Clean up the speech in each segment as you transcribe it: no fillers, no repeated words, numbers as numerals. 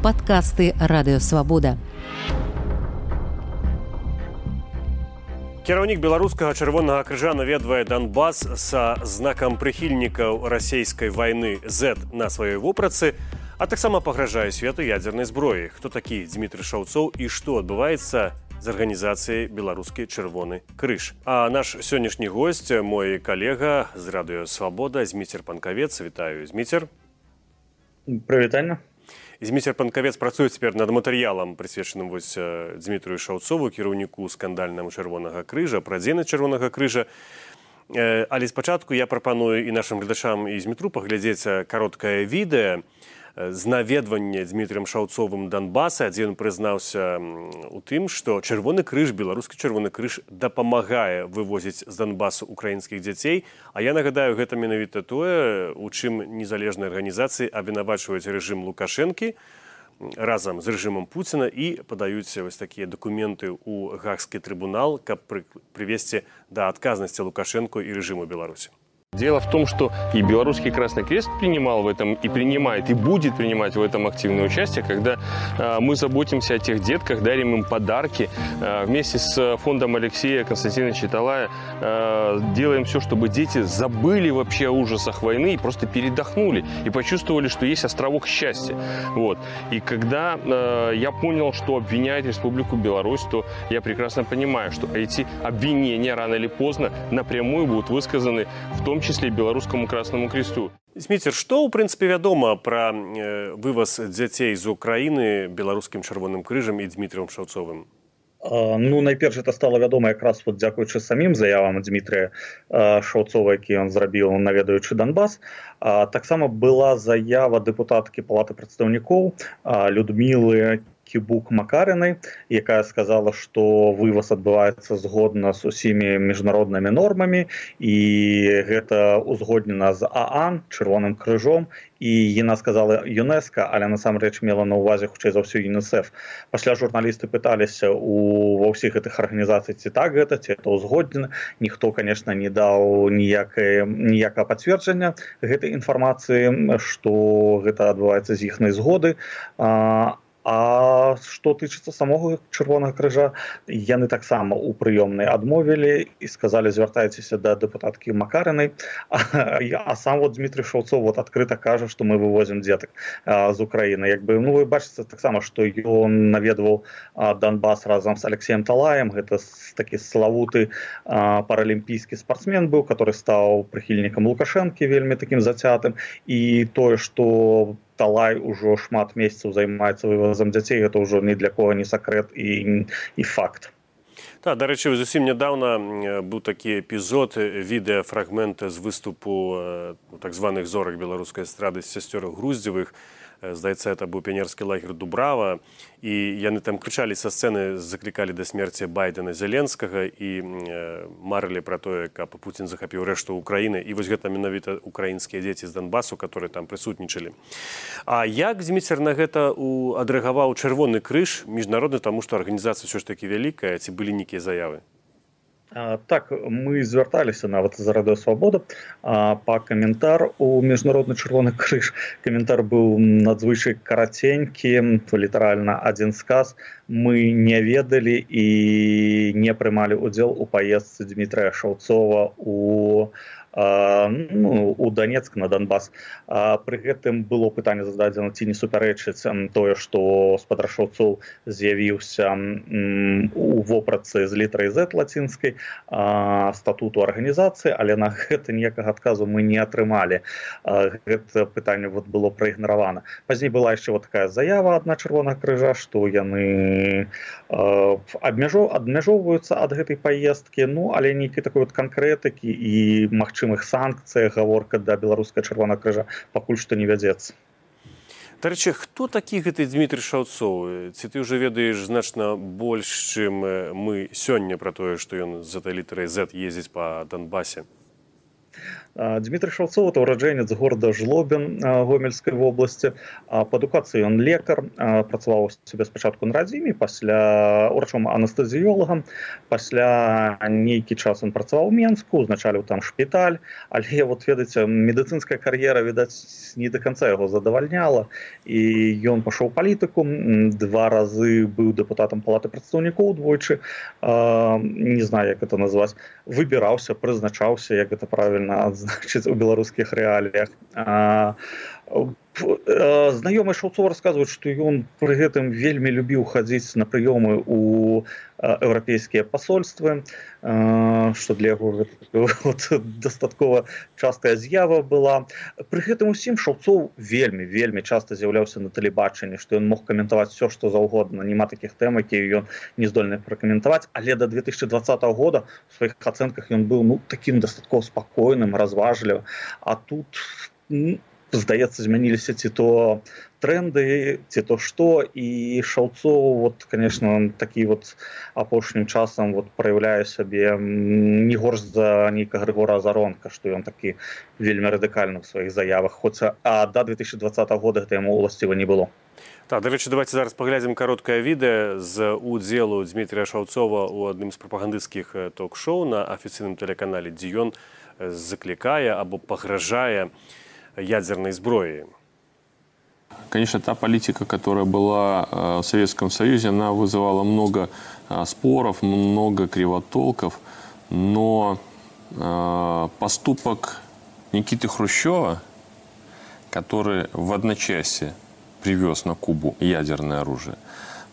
Падкасты Радыёвабода. Кіраўнік беларускага чырвонага крыжа наведвае Донбас са знакам прыхільнікаў расійскай вайны Z на сваёй вопратцы, а таксама пагражае свету ядзернай зброі. Хто такі Дмітрый Шаўцоў і што адбываецца з арганізацыяй беларускі чырвоны крыж. А наш сённяшні госць, мой калега з Радыёвабода, Зміцер Панкавец. Вітаю, Зміцер. Прывітанне. Зміцер Панкавец працуе цяпер над матэрыялам, прысвечаным Дмітрыю Шаўцову, кіраўніку скандальнаму чырвонага крыжа, пра дзейнасць чырвонага крыжа. Але спачатку я прапаную і нашым гледачам і Змітру паглядзець кароткае відэа з наведвання Дмітрыем Шаўцовым Донбаса, дзе ён прызнаўся у тым, што чырвоны крыж, беларускі чырвоны крыж дапамагае вывозіць з Донбасу украінскіх дзяцей. А я нагадаю, гэта менавіта тое, у чым незалежныя арганізацыі абвінавачваюць рэжым Лукашэнкі разам з рэжымам Пуціна і падаюць вось такія дакументы ў Гаагскі трыбунал, каб прывесці да адказнасці Лукашэнку і рэжыму Беларусі. Дело в том, что и Белорусский Красный Крест принимал в этом, и принимает, и будет принимать в этом активное участие, когда мы заботимся о тех детках, дарим им подарки. Вместе с фондом Алексея Константиновича Талая делаем все, чтобы дети забыли вообще о ужасах войны и просто передохнули, и почувствовали, что есть островок счастья. Вот. И когда я понял, что обвиняют Республику Беларусь, то я прекрасно понимаю, что эти обвинения рано или поздно напрямую будут высказаны в том числе беларускаму Краснаму Кресту. Зміцер, што, ў прынцыпе, вядома пра вываз дзяцей з Украіны беларускім чырвоным крыжам і Дмітрыем Шаўцовым? Найперш, это стало вядома якраз дзякуючы самім заявам Дмітрыя Шаўцова, які ён зрабіў, наведаючы Донбас. Таксама была заява дэпутаткі Палаты прадстаўнікоў Людмілы Кібук-Макарынай, якая сказала, што вываз адбываецца згодна з усімі міжнароднымі нормамі, і гэта узгоднена з ААН, чырвоным крыжом, і яна сказала ЮНЕСКО, але насамрэч мела на ўвазе хутчэй за ўсё ЮНІСЕФ. Пасля журналісты пыталіся ва ўсіх гэтых арганізацый, ці так гэта, ці это ўзгоднена. Ніхто, конечно, не даў ніякага пацверджання гэтай інфармацыі, што гэта адбываецца з іхнай згоды. А што тычыцца самога чырвонага крыжа, яны таксама ў прыёмнай адмовілі і сказалі, звяртайцеся да дэпутаткі Макарынай. А сам Дмітрый Шаўцоў адкрыта кажа, што мы вывозім дзетак з Украіны. Вы бачыце таксама, што ён наведваў Донбас разам з Алексеем Талаем. Гэта такі славуты паралімпійскі спартсмен быў, который стаў прыхільнікам Лукашэнкі, вельмі такім зацятым. І тое, што Талай ужо шмат месяцаў займаецца вывазам дзяцей, гэта ўжо ні для кого не сакрэт і факт. Так, дарэчы, зусім нядаўна быў такі эпізод, відэафрагмент з выступу так званых зорак беларускай эстрады з сясцёр Груздзевых. Здаецца, это быў піянерскі лагер Дубрава, і яны там крычалі са сцэны, заклікалі да смерці Байдена, Зеленскага і марылі пра тое, каб Пуцін захапіў рэшту Украіны. І вось гэта менавіта украінскія дзеці з Донбасу, которые там прысутнічалі. А як Зміцер на гэта адрэагаваў чырвоны крыж міжнародны, таму што арганізацыя ўсё ж такі вялікая, ці былі нейкія заявы? Так, мы звярталіся нават з Радыёвабода па каментар у міжнародны чырвоны крыж. Каментар быў надзвычай караценькі, літаральна адзін сказ. Мы не ведалі і не прымалі ўдзел у паездцы Дмітрыя Шаўцова у Донецк, на Донбас. Пры гэтым было пытанне зададзена, ці не супярэчыць тое, што спадар Шаўцоў з'явіўся у вопратцы з літарай Z лацінскай статуту арганізацыі, але на гэта ніякага адказу мы не атрымалі. Гэта пытанне было праігнаравана. Пазней была яшчэ такая заява ад чырвонага крыжа, што яны абмяжоўваюцца ад гэтай паездкі, але нейкай такой канкрэтыкі і магчымых санкцыях гаворка да беларускага чырвонага крыжа пакуль што не вядзецца. Дарэчы, хто такі гэты Дмітрый Шаўцоў? Ці ты ўжо ведаеш значна больш, чым мы сёння пра тое, што ён з этой літарай Z ездзіць па Донбасе? Дмітрый Шаўцоў — это ураджэнец горада Жлобін Гомельскай вобласці. Па адукацыі ён лекар, працаваў у сябе спачатку на радзіме, пасля урачом-анестэзіёлагам, пасля нейкі час ён працаваў у Менску, узначаліў там шпіталь, але вот ведаеце, медыцынская кар'ера, відаць, не до канца яго задавальняла, і ён пайшоў у палітыку, 2 разы быў дэпутатам палаты прадстаўнікоў, двойчы, не знаю, як это назваць, выбіраўся, прызначаўся, як это правільна значыць у беларускіх рэаліях. Знаёмыя Шаўцова расказваюць, што ён пры гэтым вельмі любіў хадзіць на прыёмы ў еўрапейскія пасольствы, што для яго дастаткова частая з'ява была. Пры гэтым усім Шаўцоў вельмі часта з'яўляўся на тэлебачанні, што ён мог каментаваць все, што заўгодна. Няма такіх тэм, якія ён не здольны пракаментаваць, але да 2020 года у сваіх ацэнках ён быў такім дастаткова спакойным, разважлівым. А тут здаецца, змяніліся ці то тренды, ці то што, і Шаўцоў, вот, конечно, такі вот апошнім часам вот праяўляе сябе не горш за нейкага Григора Азаронка, што ён такі вельмі радыкальны ў сваіх заявах, хоць да 2020 года гэта яму ўласціва не было. Так, дарэчы, давайте зараз паглядзім кароткае відэа з удзелу Дмітрія Шаўцова ў адным з прапагандысцкіх ток-шоу на афіцыйным тэлеканале, дзе ён заклікае або пагражае ядерной сброей. Конечно, та политика, которая была в Советском Союзе, она вызывала много споров, много кривотолков, но поступок Никиты Хрущева, который в одночасье привез на Кубу ядерное оружие,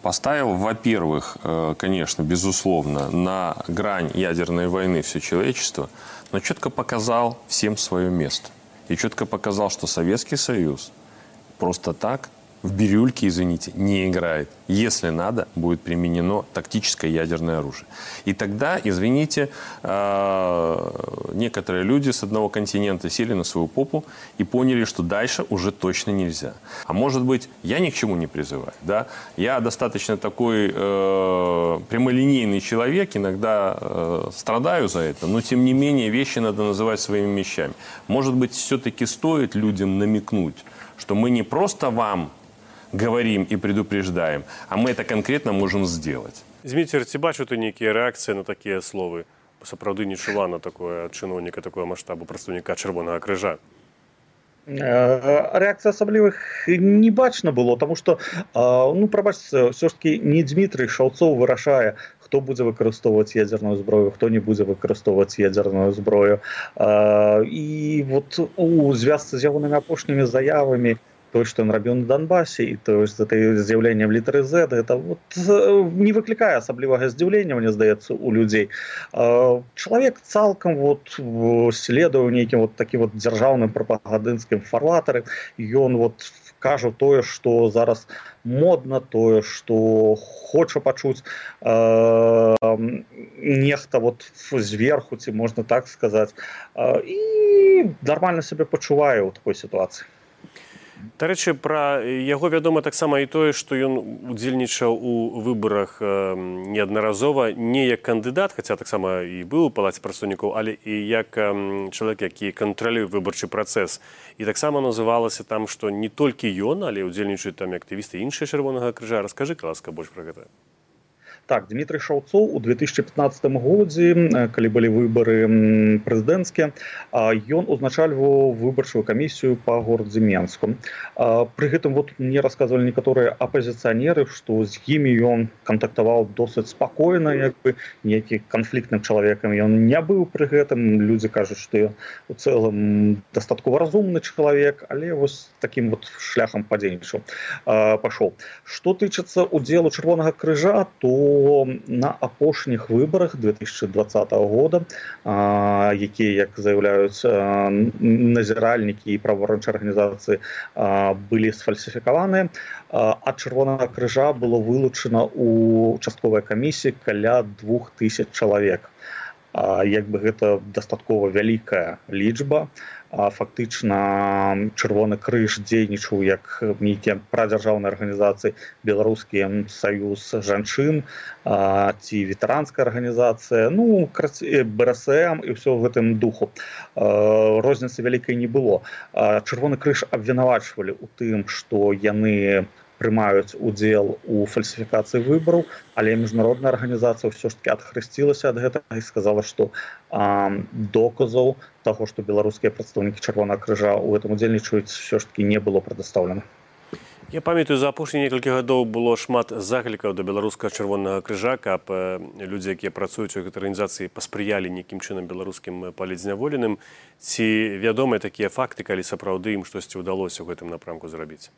поставил, во-первых, конечно, безусловно, на грань ядерной войны все человечество, но четко показал всем свое место. И четко показал, что Советский Союз просто так в бирюльке, извините, не играет. Если надо, будет применено тактическое ядерное оружие. И тогда, извините, некоторые люди с одного континента сели на свою попу и поняли, что дальше уже точно нельзя. А может быть, я ни к чему не призываю. Да? Я достаточно такой прямолинейный человек, иногда страдаю за это, но тем не менее вещи надо называть своими вещами. Может быть, все-таки стоит людям намекнуть, что мы не просто вам говорим и предупреждаем, а мы это конкретно можем сделать. Зміцер, ці бачу ты нейкія рэакцыі на такія словы? Сапраўды не чула на такое ад чыноўніка такого маштабу, прадстаўніка Чырвонага крыжа. Рэакцыі асаблівых не бачна было, таму што, прабачце, ўсё ж такі не Дмітрый Шаўцоў вырашае, хто будзе выкарыстоўваць ядерную зброю, хто не будзе выкарыстоўваць ядерную зброю. І вот у звязцы з ягонымі апошнімі заявамі, то, что он рабіў на Донбассе, и то есть это з'яўленне в літары Z, это вот не выклікае асаблівага здзіўлення, мне здаецца, у людзей. Чалавек цалкам вот следуе ў нейкім вот такім вот дзяржаўным прапагандысцкім фарватары. Ён вот кажа тое, што зараз модна, тое, што хоча пачуць нехта вот зверху, ці можна так сказаць, і нармальна сябе пачувае ў такой сітуацыі. Дарэчы, пра яго вядома таксама і тое, што ён удзельнічаў у выбарах неаднаразова не як кандыдат, хаця таксама і быў у палаце прадстаўнікоў, але і як чалавек, які кантралюе выбарчы працэс. І таксама называлася там, што не толькі ён, але ўдзельнічаюць там актывісты іншыя Чырвонага крыжа. Раскажы, ласка, больш пра гэта. Так, Дмітрый Шаўцоў у 2015 годзе, калі былі выбары прэзідэнцкія, ён узначальваў выбарчую камісію па горадзе Менску. Пры гэтым вот мне расказвалі некаторыя апазіцыянеры, што з імі ён кантактаваў досыць спакойна, як бы нейкі канфліктным чалавекам ён не быў пры гэтым. Людзі кажуць, што ён у цэлым дастаткова разумны чалавек, але вось такім вот шляхам падзейнічаў, пашоў. Што тычыцца удзелу Чырвонага крыжа, то на апошніх выбарах 2020 года, якія, як заяўляюць назіральнікі і праваабарончыя арганізацыі, былі сфальсіфікаваныя, ад Чырвонага крыжа было вылучана ў участковай камісіі каля 2000 чалавек. як бы гэта дастаткова вялікая лічба. Фактычна Чырвоны крыж дзейнічаў як нейкія прадзяржаўныя арганізацыі, беларускі саюз жанчын ці ветэранская арганізацыя, БРСМ і ўсё ў гэтым духу. Розніцы вялікай не было. Чырвоны крыж абвінавачвалі ў тым, што яны прымаюць удзел у фальсіфікацыі выбараў, але міжнародная арганізацыя ўсё ж таки адхрысцілася ад гэтага і сказала, што доказаў таго, што беларускія прадстаўнікі Чырвонага крыжа ў гэтым удзельнічаюць, ўсё ж таки не было прадастаўлена. Я памятаю, за апошнія некалькі гадоў было шмат заклікаў да беларускага Чырвонага крыжа, каб людзі, якія працуюць у гэтай арганізацыі, паспрыялі нейкім чынам беларускім палітзняволеным. Ці вядомыя такія факты, калі сапраўды ім штосьці ўдалося ў гэтым напрамку зрабіць?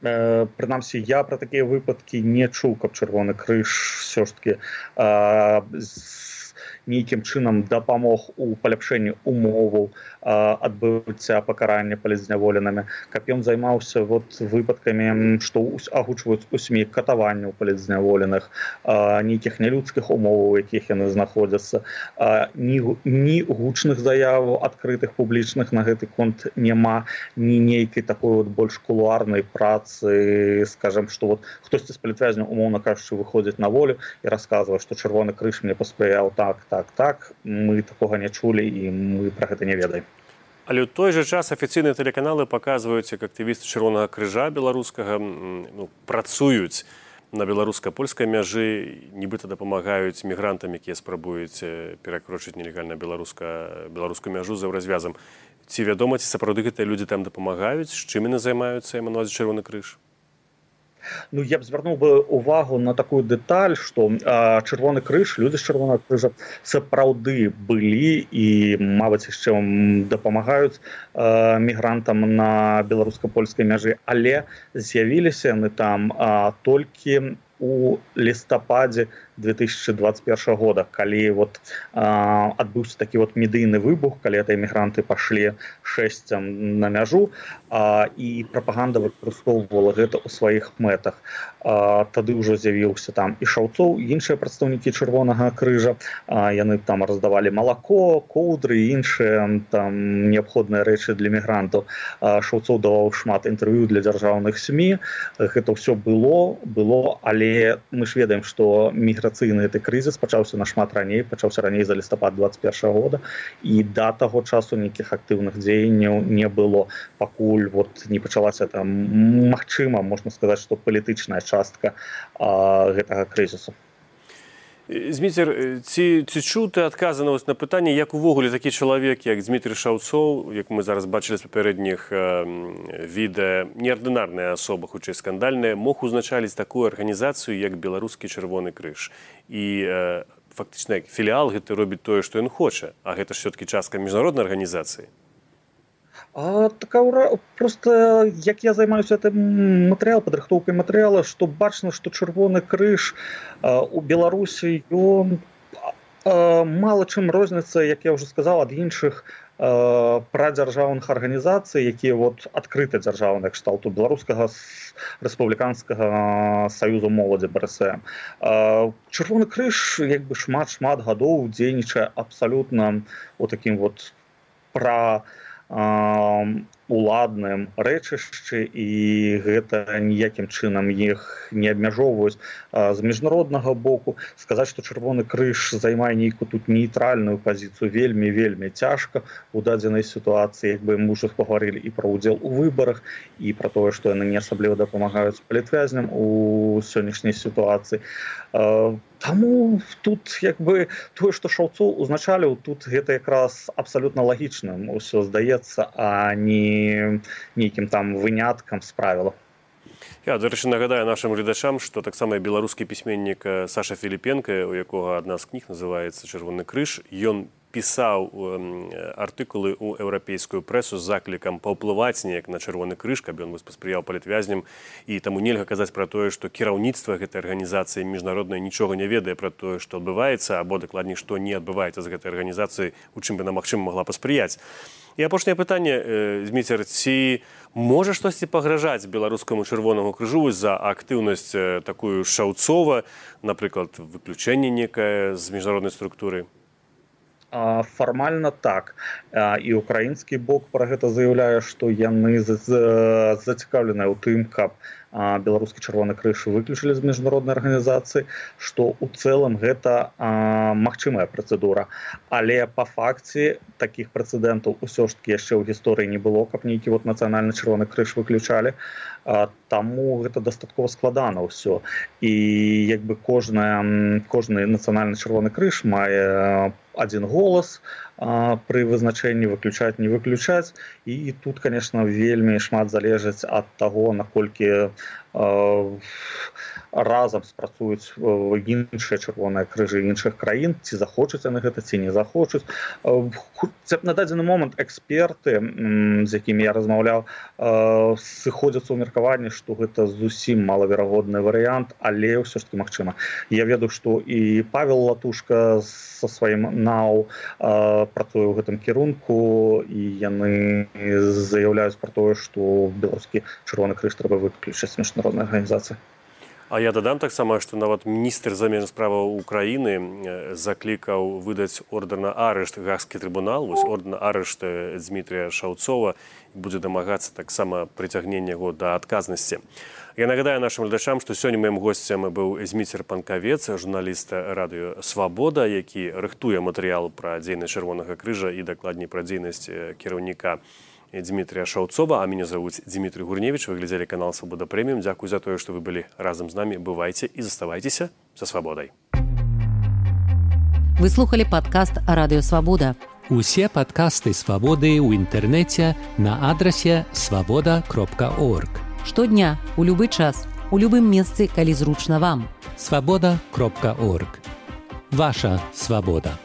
Прынамсі, я пра такія выпадкі не чуў, каб Чырвоны крыж ўсё ж таки нейкім чынам дапамог у паляпшэнні умоваў адбыцця пакарання палітзняволенымі, каб ён займаўся выпадкамі, што агучваюць у СМІ катаванняў палітзняволеных, нейкіх нялюдскіх умоваў, у якіх яны знаходзяцца. Ні гучных заяваў адкрытых публічных на гэты конт няма, ні нейкай такой больш кулуарнай працы, скажем, што хтосьці з палітвязняў, умоўна кажучы, выходзіць на волю і расказвае, што Чырвоны крыж мне паспрыяў так, мы такога не чулі і мы пра гэта не ведаем. Але ў той жа час афіцыйныя тэлеканалы паказваюць, як актывісты Чырвонага крыжа беларускага працуюць на беларуска-польскай мяжы, нібыта дапамагаюць мігрантам, якія спрабуюць перакрочыць нелегальна беларускую мяжу за развязам. Ці вядома, ці сапраўды гэтыя людзі там дапамагаюць, з чым яны займаюцца, я маю на ўвазе Чырвоны крыж? Я б звярнуў бы увагу на такую дэталь, што Чырвоны крыж, людзі з Чырвонага крыжа сапраўды былі і, мабыць, яшчэ дапамагаюць мігрантам на беларуска-польскай мяжы, але з'явіліся яны там толькі у лістападзе 2021 года, калі адбыўся такі медыйны выбух, калі эмігранты пашлі шэсцем на мяжу, і прапаганда выкарыстоўвала гэта ў сваіх мэтах. Тады ўжо з'явіўся там і Шаўцоў, і іншыя прадстаўнікі Чырвонага крыжа. Яны там раздавалі малако, коўдры і іншыя там неабходныя рэчы для мігрантаў. Шаўцоў даваў шмат інтэрв'ю для дзяржаўных СМІ. Гэта ўсё было, але мы ж ведаем, што міграцыйны гэты крызіс пачаўся нашмат раней, пачаўся раней за лістапад 2021 года, і да таго часу нейкіх актыўных дзеянняў не было, пакуль не пачалася там, магчыма, можна сказаць, што палітычная частка гэтага крызісу. Зміцер, ці чуў ты адказы на пытанне, як увогуле такі чалавек, як Дзмітрый Шаўцоў, як мы зараз бачылі з папярэдніх відэа, неардынарная асоба, хутчэй скандальная, мог узначаліць такую арганізацыю, як беларускі Чырвоны крыж. І фактычна філіал гэты робіць тое, што ён хоча, а гэта ж все-таки частка міжнароднай арганізацыі. Просто як я займаюся гэтым падрыхтоўкай матэрыяла, што бачна, што Чырвоны крыж у Беларусі ён мала чым розніцца, як я ўжо сказаў, ад іншых прадзяржаўных арганізацый, якія адкрыта дзяржаўныя кшталту беларускага рэспубліканскага саюзу моладзі БРСМ. Чырвоны крыж як бы шмат гадоў дзейнічае абсалютна у такім уладным рэчышчы, і гэта ніякім чынам іх не абмяжоўваюць. З міжнароднага боку сказаць, што Чырвоны крыж займае нейкую тут нейтральную пазіцыю вельмі цяжка у дадзенай сітуацыі, як бы мы ўжо пагаварылі і пра ўдзел у выбарах, і пра тое, што яны не асабліва дапамагаюць палітвязням у сённяшняй сітуацыі. Таму тут як бы тое, што Шаўцоў узначаліў, тут гэта якраз абсалютна лагічным усё здаецца, а не нейкім там выняткам з правіла. Я, дарэчы, нагадаю нашим гледачам, што таксама беларускі пісьменнік Саша Філіпенка, у якога адна з кніг называецца «Чырвоны крыж», ён пісаў артыкулы ў еўрапейскую прэсу з заклікам паўплываць неяк на Чырвоны крыж, каб ён паспрыяў палітвязням, і таму нельга казаць пра тое, што кіраўніцтва гэтай арганізацыі міжнароднай нічога не ведае пра тое, што адбываецца, або дакладней, што не адбываецца з гэтай арганізацыі, у чым яна, магчыма, магла паспрыяць. І апошняе пытанне, Зміцер, ці можа штосьці пагражаць беларускаму Чырвонаму крыжу за актыўнасць такую Шаўцова, напрыклад, выключэнне некае з міжнароднай структуры? Фармальна так. І украінскі бок пра гэта заяўляе, што яны зацікаўленыя ў тым, каб беларускі чырвоны крыж выключылі з міжнароднай арганізацыі, што ў цэлым гэта магчымая працэдура. Але па факце такіх прэцэдэнтаў усё ж такі яшчэ ў гісторыі не было, каб нейкі нацыянальны чырвоны крыж выключалі. Таму гэта дастаткова складана ўсё. І як бы кожны нацыянальны чырвоны крыж мае один голас пры вызначэнні выключаць, не выключаць. І тут, конечно, вельмі шмат залежыць ад таго, наколькі разам спрацуюць іншыя чырвоныя крыжы іншых краін, ці захочуць яны гэта, ці не захочуць. На дадзены момант эксперты, з якімі я размаўляў, сыходзяцца ў меркаванні, што гэта зусім малаверагодны варыянт, але ўсё ж таки магчыма. Я ведаю, што і Павел Латушка са сваім НАУ працуе ў гэтым кірунку, і яны заяўляюць пра тое, што беларускі чырвоны крыж трэба выключыць з міжнароднай арганізацыі. А я дадам таксама, што нават міністр замежных справаў Украіны заклікаў выдаць ордэр на арышт Гаагскі трыбунал, вось ордэр на арышт Дмітрія Шаўцова, будзе дамагацца таксама прыцягнення яго да адказнасці. Я нагадаю нашим глядачам, што сёння маім госцем быў Зміцер Панкавец, журналіст радыё «Свабода», які рыхтуе матэрыял пра дзейнасць Чырвонага крыжа і дакладней пра дзейнасць кіраўніка Дмитрия Шаўцова, а меня зовут Дмитрий Гурневич. Вы глядели канал «Свобода Премиум». Дякую за то, что вы были разом с нами. Бывайте и заставайтесь со свободой. Вы слухали падкаст «Радыё Свабода». Усе падкасты «Свабоды» ў інтэрнэце на адрасе свабода.орг. Штодня, у любы час, у любым месцы, калі зручна вам. Свабода.орг. Ваша свабода.